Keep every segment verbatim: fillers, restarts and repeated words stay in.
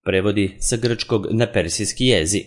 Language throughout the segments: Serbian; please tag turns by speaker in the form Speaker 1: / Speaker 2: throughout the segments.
Speaker 1: prevodi sa grčkog na persijski jezik.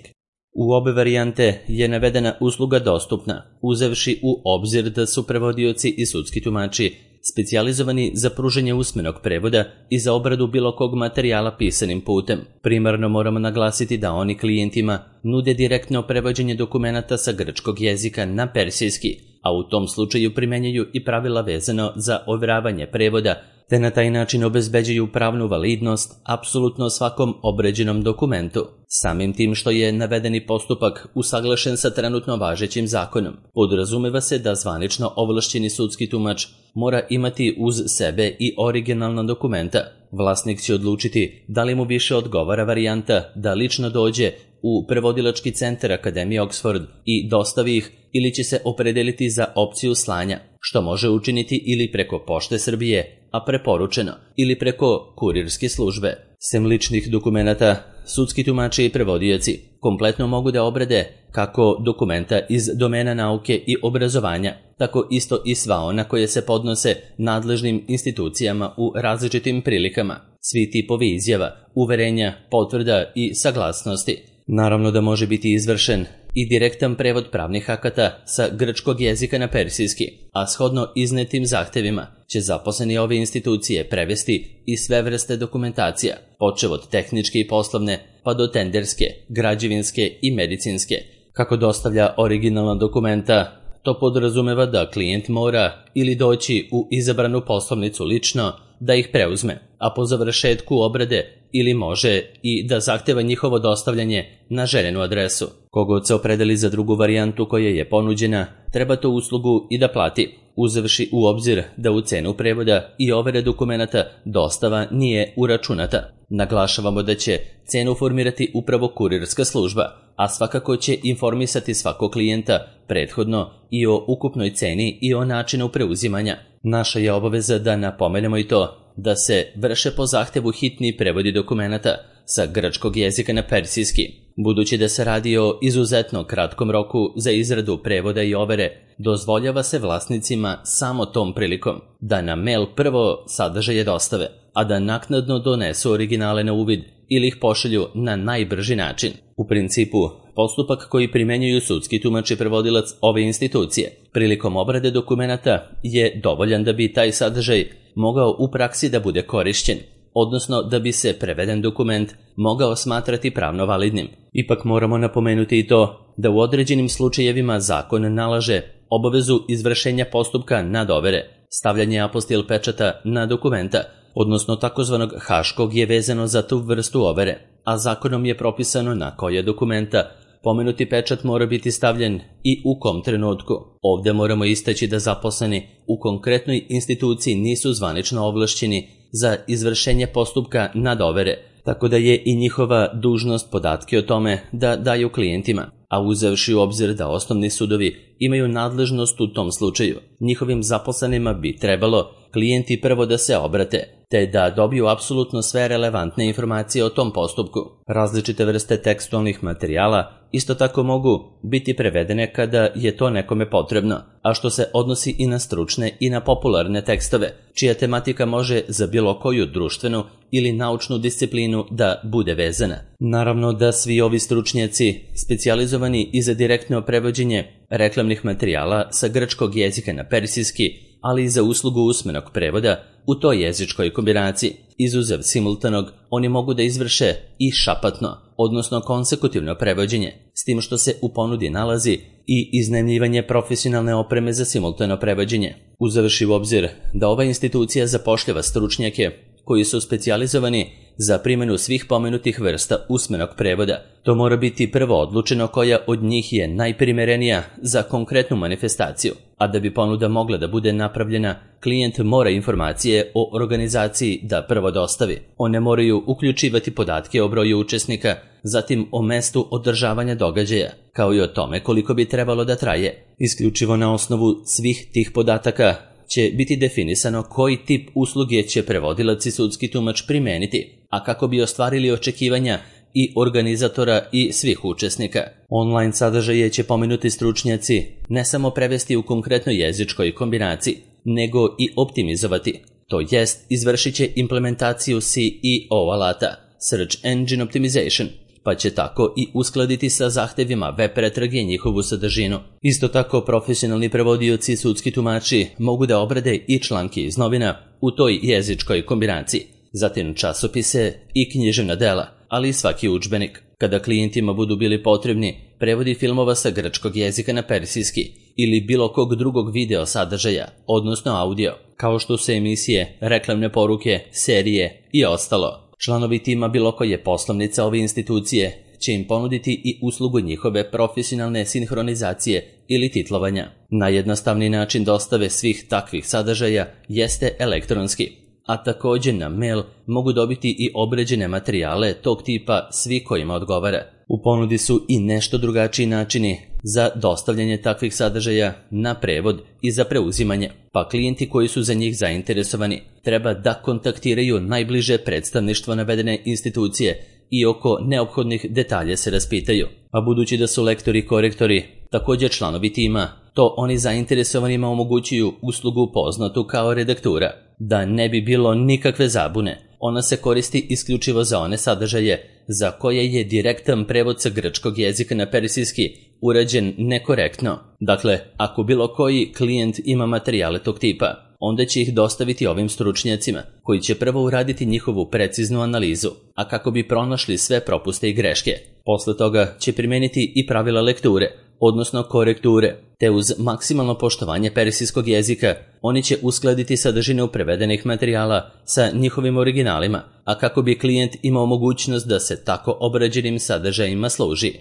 Speaker 1: U obe varijante je navedena usluga dostupna, uzevši u obzir da su prevodioci i sudski tumači specijalizovani za pružanje usmenog prevoda i za obradu bilo kog materijala pisanim putem. Primarno moramo naglasiti da oni klijentima nude direktno prevođenje dokumenata sa grčkog jezika na persijski, a u tom slučaju primenjuju i pravila vezano za overavanje prevoda, te na taj način obezbeđuju pravnu validnost apsolutno svakom obrađenom dokumentu. Samim tim što je navedeni postupak usaglašen sa trenutno važećim zakonom, podrazumeva se da zvanično ovlašćeni sudski tumač mora imati uz sebe i originalna dokumenta. Vlasnik će odlučiti da li mu više odgovara varijanta da lično dođe u prevodilački centar Akademije Oxford i dostavi ih, ili će se opredeliti za opciju slanja, što može učiniti ili preko Pošte Srbije, a preporučeno, ili preko kurirske službe. Sem ličnih dokumenata, sudski tumači i prevodioci kompletno mogu da obrade kako dokumenta iz domena nauke i obrazovanja, tako isto i sva ona koje se podnose nadležnim institucijama u različitim prilikama, svi tipovi izjava, uverenja, potvrda i saglasnosti. Naravno da može biti izvršen i direktan prevod pravnih akata sa grčkog jezika na persijski, a shodno iznetim zahtevima će zaposleni ove institucije prevesti i sve vrste dokumentacija, počev od tehničke i poslovne pa do tenderske, građevinske i medicinske. Kako dostavlja originalna dokumenta, to podrazumeva da klijent mora ili doći u izabranu poslovnicu lično da ih preuzme, a po završetku obrade ili može i da zahteva njihovo dostavljanje na željenu adresu. Kogod se opredeli za drugu varijantu koja je ponuđena, treba tu uslugu i da plati, uzevši u obzir da u cenu prevoda i overe dokumenata dostava nije uračunata. Naglašavamo da će cenu formirati upravo kurirska služba, a svakako će informisati svakog klijenta prethodno i o ukupnoj ceni i o načinu preuzimanja. Naša je obaveza da napomenemo i to da se vrše po zahtevu hitni prevodi dokumenata sa grčkog jezika na persijski. Budući da se radi o izuzetno kratkom roku za izradu prevoda i overe, dozvoljava se vlasnicima samo tom prilikom da na mail prvo sadržaje dostave, a da naknadno donesu originale na uvid ili ih pošalju na najbrži način. U principu, postupak koji primenjuju sudski tumač i prevodilac ove institucije prilikom obrade dokumenata je dovoljan da bi taj sadržaj mogao u praksi da bude korišćen, odnosno da bi se preveden dokument mogao smatrati pravno validnim. Ipak moramo napomenuti i to da u određenim slučajevima zakon nalaže obavezu izvršenja postupka nadovere, stavljanje apostil pečata na dokumenta, odnosno takozvanog haškog je vezano za tu vrstu overe, a zakonom je propisano na koje dokumenta pomenuti pečat mora biti stavljen i u kom trenutku. Ovdje moramo istaći da zaposleni u konkretnoj instituciji nisu zvanično ovlašćeni za izvršenje postupka nadovere, tako da je i njihova dužnost podatke o tome da daju klijentima, a uzevši u obzir da osnovni sudovi imaju nadležnost u tom slučaju, njihovim zaposlenima bi trebalo klijenti prvo da se obrate, te da dobiju apsolutno sve relevantne informacije o tom postupku. Različite vrste tekstualnih materijala isto tako mogu biti prevedene kada je to nekome potrebno, a što se odnosi i na stručne i na popularne tekstove, čija tematika može za bilo koju društvenu ili naučnu disciplinu da bude vezana. Naravno da svi ovi stručnjaci specijalizovani i za direktno prevođenje reklamnih materijala sa grčkog jezika na persijski, ali i za uslugu usmenog prevoda u toj jezičkoj kombinaciji. Izuzev simultanog, oni mogu da izvrše i šapatno, odnosno konsekutivno prevođenje, s tim što se u ponudi nalazi i iznajmljivanje profesionalne opreme za simultano prevođenje. Uzevši u obzir da ova institucija zapošljava stručnjake koji su specijalizovani za primjenu svih pomenutih vrsta usmenog prevoda, to mora biti prvo odlučeno koja od njih je najprimerenija za konkretnu manifestaciju, a da bi ponuda mogla da bude napravljena, klijent mora informacije o organizaciji da prvo dostavi. One moraju uključivati podatke o broju učesnika, zatim o mestu održavanja događaja, kao i o tome koliko bi trebalo da traje. Isključivo na osnovu svih tih podataka će biti definisano koji tip usluge će prevodilac i sudski tumač primeniti, a kako bi ostvarili očekivanja i organizatora i svih učesnika. Online sadržaje će pomenuti stručnjaci ne samo prevesti u konkretnoj jezičkoj kombinaciji, nego i optimizovati, to jest izvršit će implementaciju C E O alata, Search Engine Optimization, pa će tako i uskladiti sa zahtevima web pretrage njihovu sadržinu. Isto tako, profesionalni prevodioci i sudski tumači mogu da obrade i članke iz novina u toj jezičkoj kombinaciji, zatim časopise i književna dela, ali i svaki udžbenik. Kada klijentima budu bili potrebni prevodi filmova sa grčkog jezika na persijski ili bilo kog drugog video sadržaja, odnosno audio, kao što su emisije, reklamne poruke, serije i ostalo. Članovi tima bilo koje poslovnice ove institucije će im ponuditi i uslugu njihove profesionalne sinhronizacije ili titlovanja. Najjednostavniji način dostave svih takvih sadržaja jeste elektronski, a također na mail mogu dobiti i obređene materijale tog tipa svi kojima odgovara. U ponudi su i nešto drugačiji načini za dostavljanje takvih sadržaja na prevod i za preuzimanje, pa klijenti koji su za njih zainteresovani treba da kontaktiraju najbliže predstavništvo navedene institucije i oko neophodnih detalja se raspitaju. A budući da su lektori i korektori također članovi tima, to oni zainteresovanima omogućuju uslugu poznatu kao redaktura. Da ne bi bilo nikakve zabune, ona se koristi isključivo za one sadržaje za koje je direktan prevod sa grčkog jezika na persijski urađen nekorektno. Dakle, ako bilo koji klijent ima materijale tog tipa, onda će ih dostaviti ovim stručnjacima, koji će prvo uraditi njihovu preciznu analizu, a kako bi pronašli sve propuste i greške. Posle toga će primeniti i pravila lekture, odnosno korekture, te uz maksimalno poštovanje persijskog jezika oni će uskladiti sadržinu prevedenih materijala sa njihovim originalima, a kako bi klijent imao mogućnost da se tako obrađenim sadržajima služi.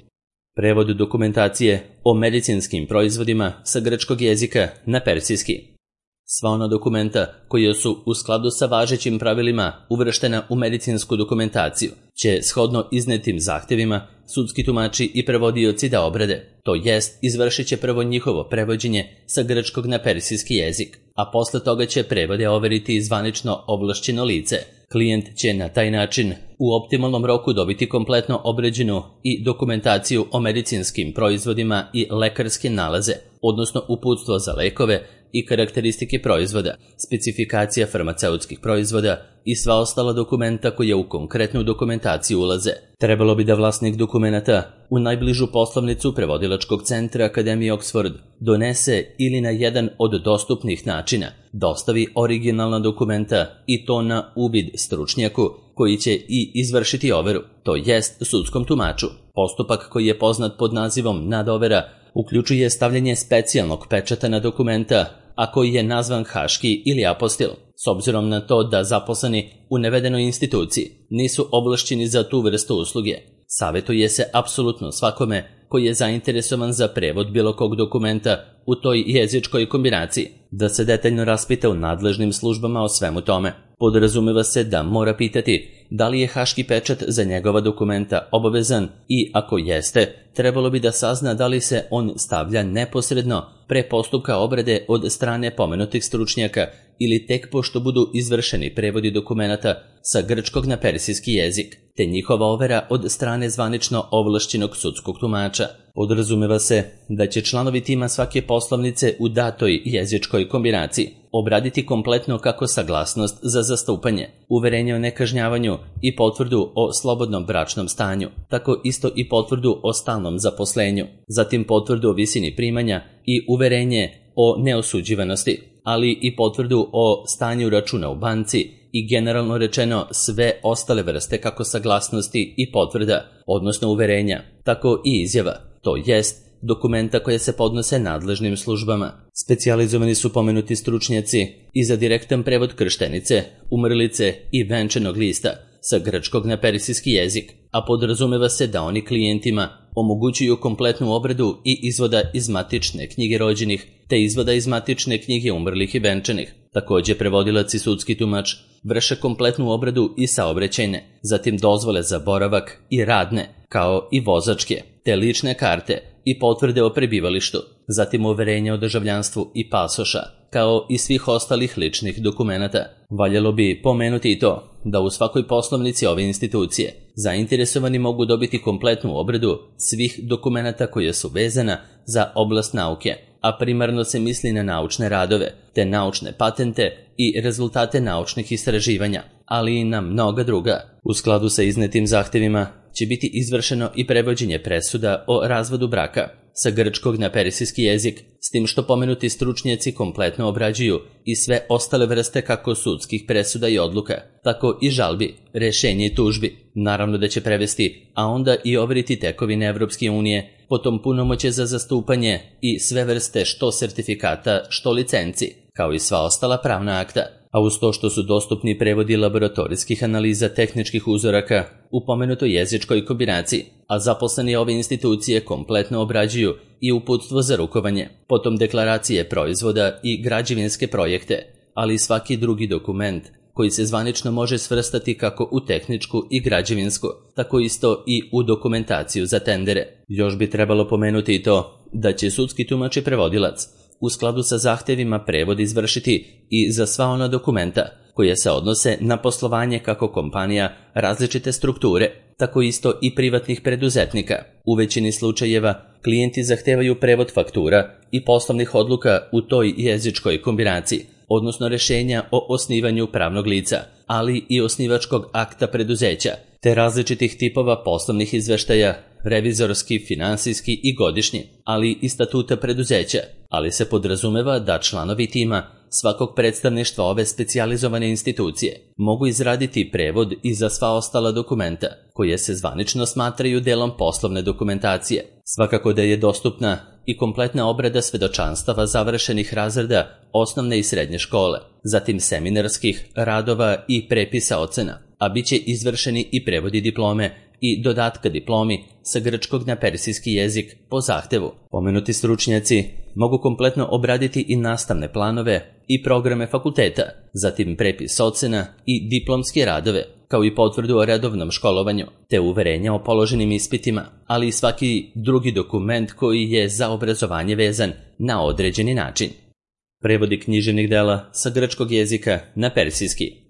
Speaker 1: Prevod dokumentacije o medicinskim proizvodima sa grčkog jezika na persijski. Sva ona dokumenta koja su u skladu sa važećim pravilima uvrštena u medicinsku dokumentaciju će shodno iznetim zahtevima sudski tumači i prevodioci da obrade, to jest izvršit će prvo njihovo prevođenje sa grčkog na persijski jezik, a posle toga će prevode overiti zvanično ovlašćeno lice. Klijent će na taj način u optimalnom roku dobiti kompletno obrađenu i dokumentaciju o medicinskim proizvodima i lekarske nalaze, odnosno uputstvo za lekove i karakteristike proizvoda, specifikacija farmaceutskih proizvoda i sva ostala dokumenta koja u konkretnu dokumentaciju ulaze. Trebalo bi da vlasnik dokumenata u najbližu poslovnicu prevodilačkog centra Akademije Oxford donese ili na jedan od dostupnih načina dostavi originalna dokumenta i to na uvid stručnjaku koji će i izvršiti overu, to jest sudskom tumaču. Postupak koji je poznat pod nazivom nadovera uključuje stavljanje specijalnog pečata na dokumenta, a koji je nazvan haški ili apostil, s obzirom na to da zaposleni u navedenoj instituciji nisu ovlašćeni za tu vrstu usluge. Savjetuje se apsolutno svakome koji je zainteresovan za prevod bilo kog dokumenta u toj jezičkoj kombinaciji da se detaljno raspita u nadležnim službama o svemu tome. Podrazumeva se da mora pitati da li je haški pečat za njegova dokumenta obavezan i ako jeste, trebalo bi da sazna da li se on stavlja neposredno pre postupka obrade od strane pomenutih stručnjaka ili tek pošto budu izvršeni prevodi dokumenata sa grčkog na persijski jezik, te njihova overa od strane zvanično ovlašćenog sudskog tumača. Podrazumeva se da će članovi tima svake poslovnice u datoj jezičkoj kombinaciji obraditi kompletno kako saglasnost za zastupanje, uverenje o nekažnjavanju i potvrdu o slobodnom bračnom stanju, tako isto i potvrdu o stalnom zaposlenju, zatim potvrdu o visini primanja i uverenje o neosuđivanosti, ali i potvrdu o stanju računa u banci i generalno rečeno sve ostale vrste kako saglasnosti i potvrda, odnosno uverenja, tako i izjava, to jest dokumenta koje se podnose nadležnim službama. Specijalizovani su pomenuti stručnjaci i za direktan prevod krštenice, umrlice i venčanog lista sa grčkog na persijski jezik, a podrazumeva se da oni klijentima omogućuju kompletnu obradu i izvoda iz matične knjige rođenih, te izvoda iz matične knjige umrlih i venčanih. Također prevodilac i sudski tumač vrše kompletnu obradu i saobraćajne, zatim dozvole za boravak i radne, kao i vozačke, te lične karte i potvrde o prebivalištu, zatim uverenja o državljanstvu i pasoša, kao i svih ostalih ličnih dokumenata. Valjalo bi pomenuti i to da u svakoj poslovnici ove institucije zainteresovani mogu dobiti kompletnu obradu svih dokumenata koje su vezana za oblast nauke, a primarno se misli na naučne radove, te naučne patente i rezultate naučnih istraživanja, ali i na mnoga druga. U skladu sa iznetim zahtevima će biti izvršeno i prevođenje presuda o razvodu braka sa grčkog na persijski jezik, s tim što pomenuti stručnjaci kompletno obrađuju i sve ostale vrste kako sudskih presuda i odluka, tako i žalbi, rešenja i tužbi. Naravno da će prevesti, a onda i overiti tekovine Evropske unije, potom punomoće za zastupanje i sve vrste što sertifikata, što licenci, kao i sva ostala pravna akta. A uz to što su dostupni prevodi laboratorijskih analiza tehničkih uzoraka u pomenutoj jezičkoj kombinaciji, a zaposleni ove institucije kompletno obrađuju i uputstvo za rukovanje, potom deklaracije proizvoda i građevinske projekte, ali i svaki drugi dokument koji se zvanično može svrstati kako u tehničku i građevinsku, tako isto i u dokumentaciju za tendere. Još bi trebalo pomenuti i to da će sudski tumač i prevodilac u skladu sa zahtevima prevod izvršiti i za sva ona dokumenta koje se odnose na poslovanje kako kompanija različite strukture, tako isto i privatnih preduzetnika. U većini slučajeva klijenti zahtevaju prevod faktura i poslovnih odluka u toj jezičkoj kombinaciji, odnosno rešenja o osnivanju pravnog lica, ali i osnivačkog akta preduzeća, te različitih tipova poslovnih izveštaja, revizorski, finansijski i godišnji, ali i statuta preduzeća, ali se podrazumeva da članovi tima svakog predstavništva ove specijalizovane institucije mogu izraditi prevod i za sva ostala dokumenta, koje se zvanično smatraju delom poslovne dokumentacije. Svakako da je dostupna i kompletna obrada svedočanstava završenih razreda osnovne i srednje škole, zatim seminarskih radova i prepisa ocena, a bit će izvršeni i prevodi diplome i dodatka diplomi sa grčkog na persijski jezik po zahtevu. Pomenuti stručnjaci mogu kompletno obraditi i nastavne planove i programe fakulteta, zatim prepis ocena i diplomske radove, kao i potvrdu o redovnom školovanju, te uverenja o položenim ispitima, ali i svaki drugi dokument koji je za obrazovanje vezan na određeni način. Prevodi književnih dela sa grčkog jezika na persijski.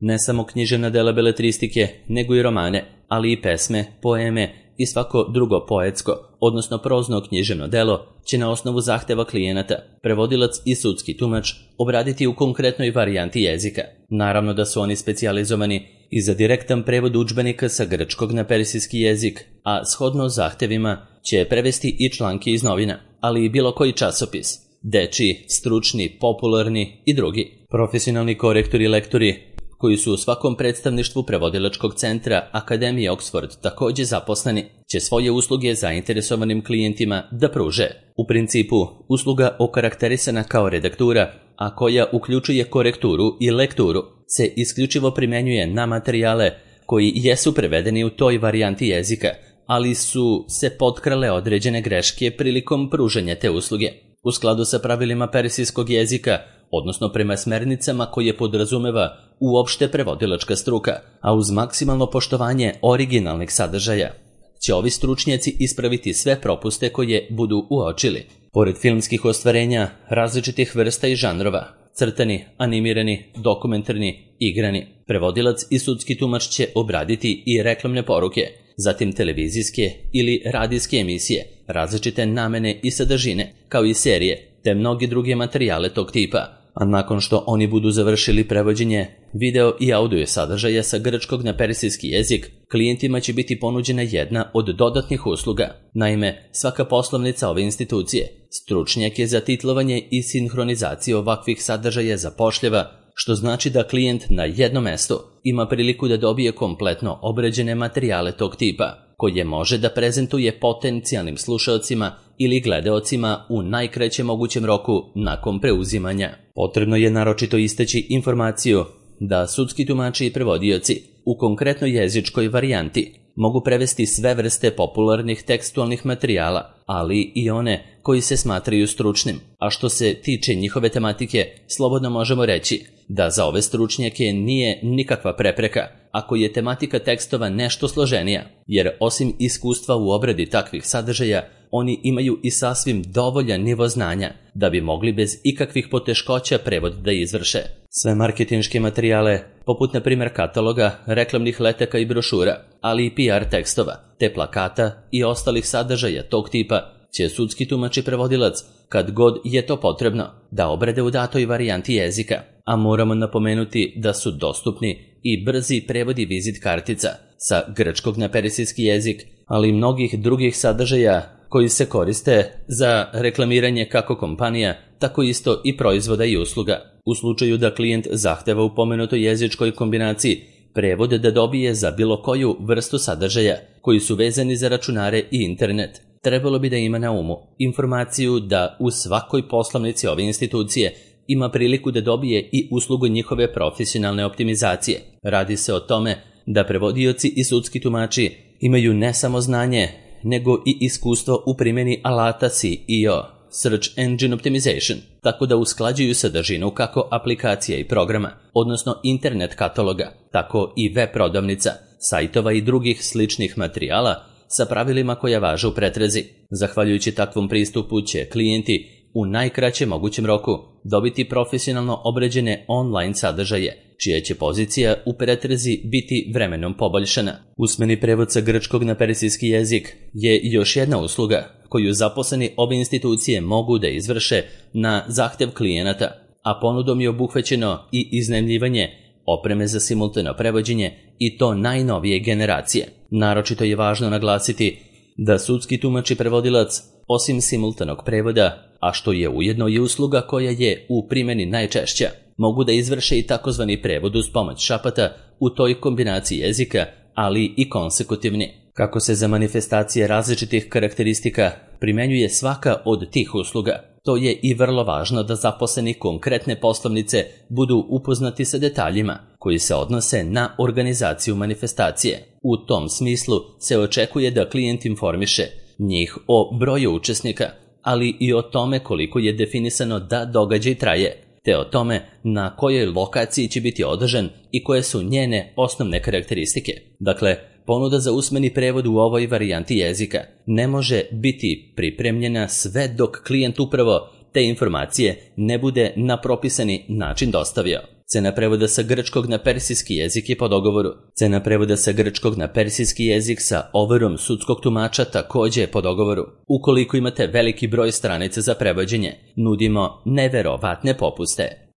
Speaker 1: Ne samo književna dela beletristike, nego i romane, ali i pesme, poeme i svako drugo poetsko, odnosno prozno književno delo, će na osnovu zahteva klijenata, prevodilac i sudski tumač obraditi u konkretnoj varijanti jezika. Naravno da su oni specijalizovani i za direktan prevod udžbenika sa grčkog na persijski jezik, a shodno zahtevima će prevesti i članke iz novina, ali i bilo koji časopis, dečiji, stručni, popularni i drugi. Profesionalni korektori i lektori koji su u svakom predstavništvu prevodilačkog centra Akademije Oxford takođe zaposleni, će svoje usluge zainteresovanim klijentima da pruže. U principu, usluga okarakterisana kao redaktura, a koja uključuje korekturu i lekturu, se isključivo primenjuje na materijale koji jesu prevedeni u toj varijanti jezika, ali su se potkrale određene greške prilikom pružanja te usluge. U skladu sa pravilima persijskog jezika, odnosno prema smernicama koje podrazumeva uopšte prevodilačka struka, a uz maksimalno poštovanje originalnih sadržaja, će ovi stručnjaci ispraviti sve propuste koje budu uočili. Pored filmskih ostvarenja različitih vrsta i žanrova, crtani, animirani, dokumentarni, igrani, prevodilac i sudski tumač će obraditi i reklamne poruke, zatim televizijske ili radijske emisije, različite namene i sadržine, kao i serije, te mnogi druge materijale tog tipa. A nakon što oni budu završili prevođenje video i audio sadržaja sa grčkog na persijski jezik, klijentima će biti ponuđena jedna od dodatnih usluga. Naime, svaka poslovnica ove institucije stručnjak je za titlovanje i sinhronizaciju ovakvih sadržaja zapošljava, što znači da klijent na jednom mestu ima priliku da dobije kompletno obrađene materijale tog tipa, koje može da prezentuje potencijalnim slušaocima ili gledaocima u najkraćem mogućem roku nakon preuzimanja. Potrebno je naročito istaći informaciju da sudski tumači i prevodioci u konkretnoj jezičkoj varijanti mogu prevesti sve vrste popularnih tekstualnih materijala, ali i one koji se smatraju stručnim, a što se tiče njihove tematike, slobodno možemo reći da za ove stručnjake nije nikakva prepreka ako je tematika tekstova nešto složenija, jer osim iskustva u obradi takvih sadržaja, oni imaju i sasvim dovoljan nivo znanja da bi mogli bez ikakvih poteškoća prevod da izvrše. Sve marketinške materijale, poput na primjer kataloga, reklamnih letaka i brošura, ali i P R tekstova, te plakata i ostalih sadržaja tog tipa, će sudski tumač i prevodilac, kad god je to potrebno, da obrade u datoj varijanti jezika, a moramo napomenuti da su dostupni i brzi prevodi vizit kartica sa grčkog na persijski jezik, ali i mnogih drugih sadržaja koji se koriste za reklamiranje kako kompanija, tako isto i proizvoda i usluga. U slučaju da klijent zahteva u pomenutoj jezičkoj kombinaciji prevod da dobije za bilo koju vrstu sadržaja koji su vezani za računare i internet, trebalo bi da ima na umu informaciju da u svakoj poslovnici ove institucije ima priliku da dobije i uslugu njihove profesionalne optimizacije. Radi se o tome da prevodioci i sudski tumači imaju ne samo znanje, nego i iskustvo u primjeni alata S E O, Search Engine Optimization, tako da usklađuju sadržinu kako aplikacija i programa, odnosno internet kataloga, tako i web prodavnica, sajtova i drugih sličnih materijala sa pravilima koja važe u pretrazi. Zahvaljujući takvom pristupu će klijenti u najkraćem mogućem roku dobiti profesionalno obrađene online sadržaje, čija će pozicija u pretrazi biti vremenom poboljšana. Usmeni prevod sa grčkog na persijski jezik je još jedna usluga koju zaposleni ove institucije mogu da izvrše na zahtev klijenata, a ponudom je obuhvaćeno i iznajmljivanje opreme za simultano prevođenje i to najnovije generacije. Naročito je važno naglasiti da sudski tumač i prevodilac, osim simultanog prevoda, a što je ujedno i usluga koja je u primjeni najčešća, mogu da izvrše i takozvani prevod uz pomoć šapata u toj kombinaciji jezika, ali i konsekutivni. Kako se za manifestacije različitih karakteristika primenjuje svaka od tih usluga, to je i vrlo važno da zaposleni konkretne poslovnice budu upoznati sa detaljima koji se odnose na organizaciju manifestacije. U tom smislu se očekuje da klijent informiše njih o broju učesnika, ali i o tome koliko je definisano da događaj traje, te o tome na kojoj lokaciji će biti održan i koje su njene osnovne karakteristike. Dakle, ponuda za usmeni prevod u ovoj varijanti jezika ne može biti pripremljena sve dok klijent upravo te informacije ne bude na propisani način dostavio. Cena prevoda sa grčkog na persijski jezik je po dogovoru. Cena prevoda sa grčkog na persijski jezik sa overom sudskog tumača također je po dogovoru. Ukoliko imate veliki broj stranica za prevođenje, nudimo neverovatne popuste.